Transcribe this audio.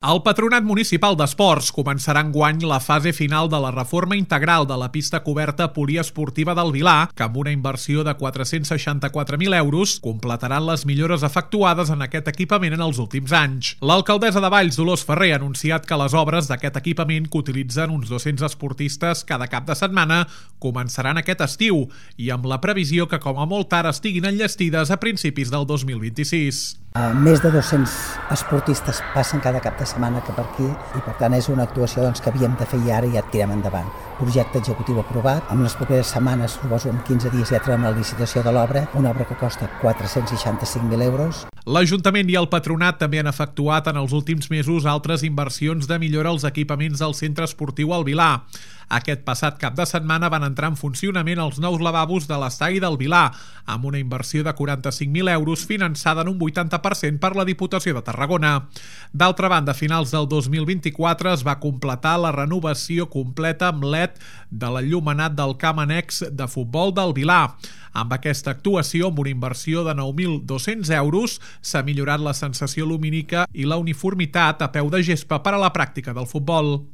El Patronat Municipal d'Esports començarà enguany la fase final de la reforma integral de la pista coberta poliesportiva del Vilar, que amb una inversió de 464.000 euros completaran les millores efectuades en aquest equipament en els últims anys. L'alcaldessa de Valls, Dolors Ferrer, ha anunciat que les obres d'aquest equipament, que utilitzen uns 200 esportistes cada cap de setmana, començaran aquest estiu i amb la previsió que com a molt tard estiguin enllestides a principis del 2026. Més de 200 esportistes passen cada cap de setmana que per aquí i per tant és una actuació que havíem de fer i ara ja tirem endavant. Projecte executiu aprovat, en les properes setmanes, suposo en 15 dies ja traiem la licitació de l'obra, una obra que costa 465.000 euros. L'Ajuntament i el Patronat també han efectuat en els últims mesos altres inversions de millora als equipaments del centre esportiu al Vilar. Aquest passat cap de setmana van entrar en funcionament els nous lavabos de l'estadi del Vilar, amb una inversió de 45.000 euros finançada en un 80% per la Diputació de Tarragona. D'altra banda, a finals del 2024 es va completar la renovació completa amb LED de l'enllumenat del camp annex de futbol del Vilar. Amb aquesta actuació, amb una inversió de 9.200 euros, s'ha millorat la sensació lumínica i la uniformitat a peu de gespa per a la pràctica del futbol.